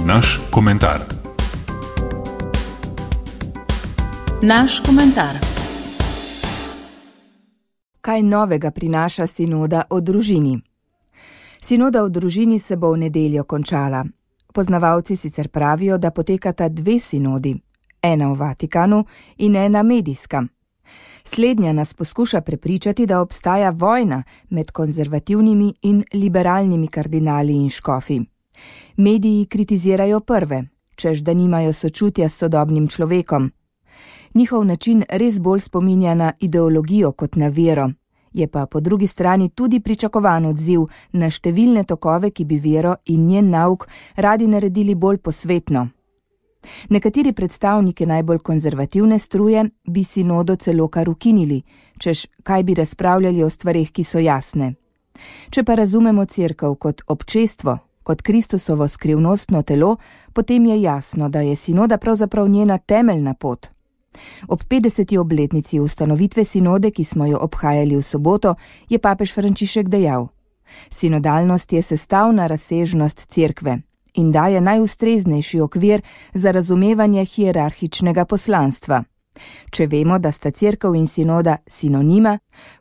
Naš komentar. Naš komentar. Kaj novega prinaša sinoda o družini? Sinoda o družini se bo v nedeljo končala. Poznavalci sicer pravijo, da potekata dve sinodi, ena v Vatikanu in ena medijska. Slednja nas poskuša prepričati, da obstaja vojna med konzervativnimi in liberalnimi kardinali in škofi. Mediji kritizirajo prve, češ da nimajo sočutja s sodobnim človekom. Njihov način res bolj spominja na ideologijo kot na vero, je pa po drugi strani tudi pričakovan odziv na številne tokove, ki bi vero in njen nauk radi naredili bolj posvetno. Nekateri predstavniki najbolj konzervativne struje bi sinodo celo kar ukinili, češ kaj bi razpravljali o stvareh, ki so jasne. Če pa razumemo cerkev kot občestvo, kot Kristusovo skrivnostno telo, potem je jasno, da je sinoda pravzaprav njena temeljna pot. Ob 50. obletnici ustanovitve sinode, ki smo jo obhajali v soboto, je papež Frančišek dejal: Sinodalnost je sestavna razsežnost cerkve in daje najustreznejši okvir za razumevanje hierarhičnega poslanstva. Če vemo, da sta cerkev in sinoda sinonima,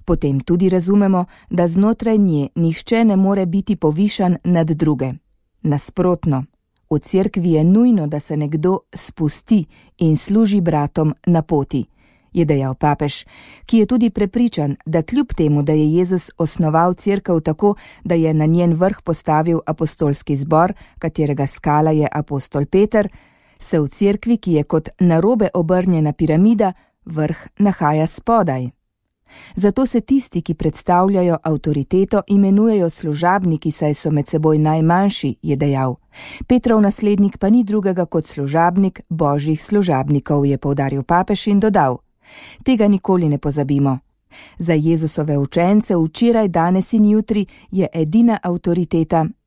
potem tudi razumemo, da znotraj nje nihče ne more biti povišan nad druge. Nasprotno, v cerkvi je nujno, da se nekdo spusti in služi bratom na poti, je dejal papež, ki je tudi prepričan, da kljub temu, da je Jezus osnoval cerkev tako, da je na njen vrh postavil apostolski zbor, katerega skala je apostol Peter, se v cerkvi, ki je kot narobe obrnjena piramida, vrh nahaja spodaj. Zato se tisti, ki predstavljajo avtoriteto, imenujejo služabniki, saj so med seboj najmanjši, je dejal. Petrov naslednik pa ni drugega kot služabnik božjih služabnikov, je poudaril papež in dodal: Tega nikoli ne pozabimo. Za Jezusove učence včeraj, danes in jutri je edina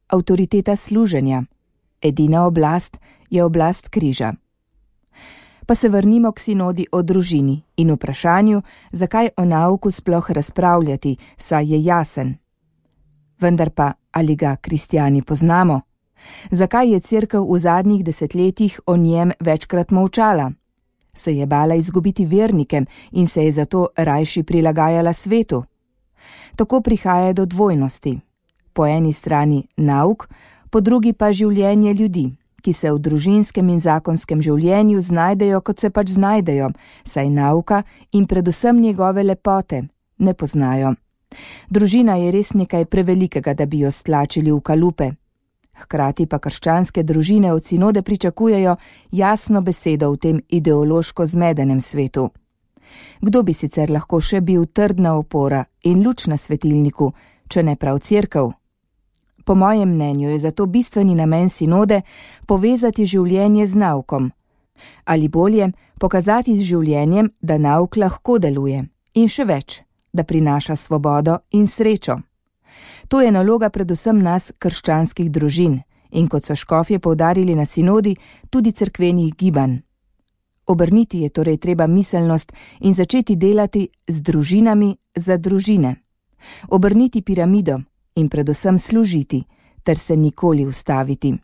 avtoriteta služenja. Edina oblast je oblast križa. Pa se vrnimo k sinodi o družini in vprašanju, zakaj o nauku sploh razpravljati, saj je jasen. Vendar pa, ali ga kristjani poznamo? Zakaj je cerkev v zadnjih desetletjih o njem večkrat molčala? Se je bala izgubiti vernike in se je zato rajši prilagajala svetu? Tako prihaja do dvojnosti. Po eni strani nauk, po drugi pa življenje ljudi, ki se v družinskem in zakonskem življenju znajdejo, kot se pač znajdejo, saj nauka in predvsem njegove lepote ne poznajo. Družina je res nekaj prevelikega, da bi jo stlačili v kalupe. Hkrati pa krščanske družine od sinode pričakujejo jasno besedo v tem ideološko zmedenem svetu. Kdo bi sicer lahko še bil trdna opora in luč na svetilniku, če ne prav cerkev? Po mojem mnenju je zato bistveni namen sinode povezati življenje z naukom. Ali bolje, pokazati z življenjem, da nauk lahko deluje. In še več, da prinaša svobodo in srečo. To je naloga predvsem nas, krščanskih družin, in kot so škofje poudarili na sinodi, tudi cerkvenih gibanj. Obrniti je torej treba miselnost in začeti delati z družinami za družine. Obrniti piramido in predvsem služiti, ter se nikoli ustaviti.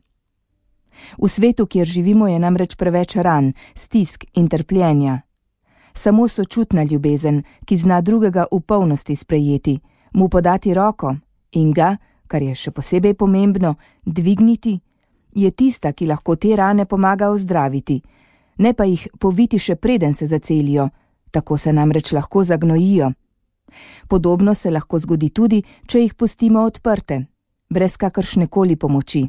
V svetu, kjer živimo, je namreč preveč ran, stisk in trpljenja. Samo sočutna ljubezen, ki zna drugega v polnosti sprejeti, mu podati roko in ga, kar je še posebej pomembno, dvigniti, je tista, ki lahko te rane pomaga ozdraviti, ne pa jih poviti še preden se zacelijo, tako se namreč lahko zagnojijo. Podobno se lahko zgodi tudi, če jih pustimo odprte, brez kakršnekoli pomoči.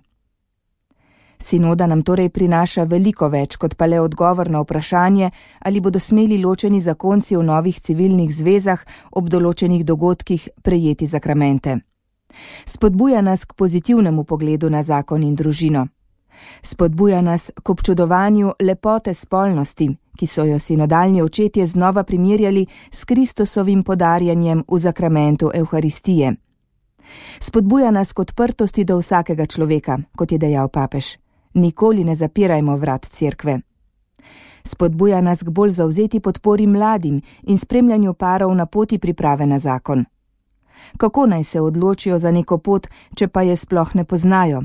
Sinoda nam torej prinaša veliko več kot pa le odgovor na vprašanje, ali bodo smeli ločeni zakonci v novih civilnih zvezah ob določenih dogodkih prejeti zakramente. Spodbuja nas k pozitivnemu pogledu na zakon in družino. Spodbuja nas k občudovanju lepote spolnosti, ki so jo sinodalni očetje znova primerjali s Kristusovim podarjanjem v zakramentu Evharistije. Spodbuja nas k odprtosti do vsakega človeka, kot je dejal papež. Nikoli ne zapirajmo vrat cerkve. Spodbuja nas k bolj zavzeti podpori mladim in spremljanju parov na poti priprave na zakon. Kako naj se odločijo za neko pot, če pa je sploh ne poznajo?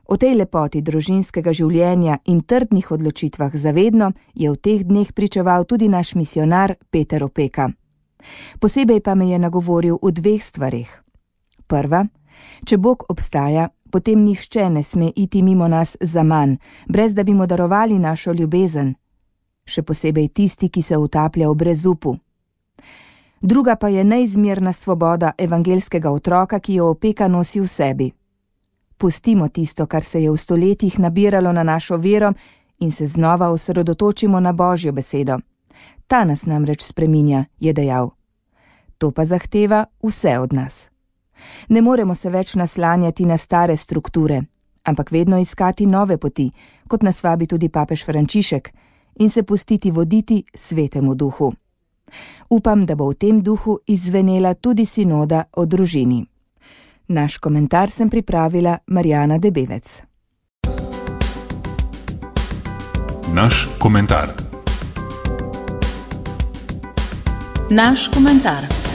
O tej lepoti družinskega življenja in trdnih odločitvah zavedno je v teh dneh pričeval tudi naš misionar Peter Opeka. Posebej pa me je nagovoril v dveh stvareh. Prva, če Bog obstaja, potem nihče ne sme iti mimo nas zaman, brez da bi mu darovali našo ljubezen, še posebej tisti, ki se utaplja v brezupu. Druga pa je neizmerna svoboda evangelskega otroka, ki jo Opeka nosi v sebi. Pustimo tisto, kar se je v stoletjih nabiralo na našo vero in se znova osredotočimo na Božjo besedo. Ta nas namreč spreminja, je dejal. To pa zahteva vse od nas. Ne moremo se več naslanjati na stare strukture, ampak vedno iskati nove poti, kot nas vabi tudi papež Frančišek, in se pustiti voditi Svetemu Duhu. Upam, da bo v tem duhu izzvenela tudi sinoda o družini. Naš komentar sem pripravila Marjana Debevec. Naš komentar. Naš komentar.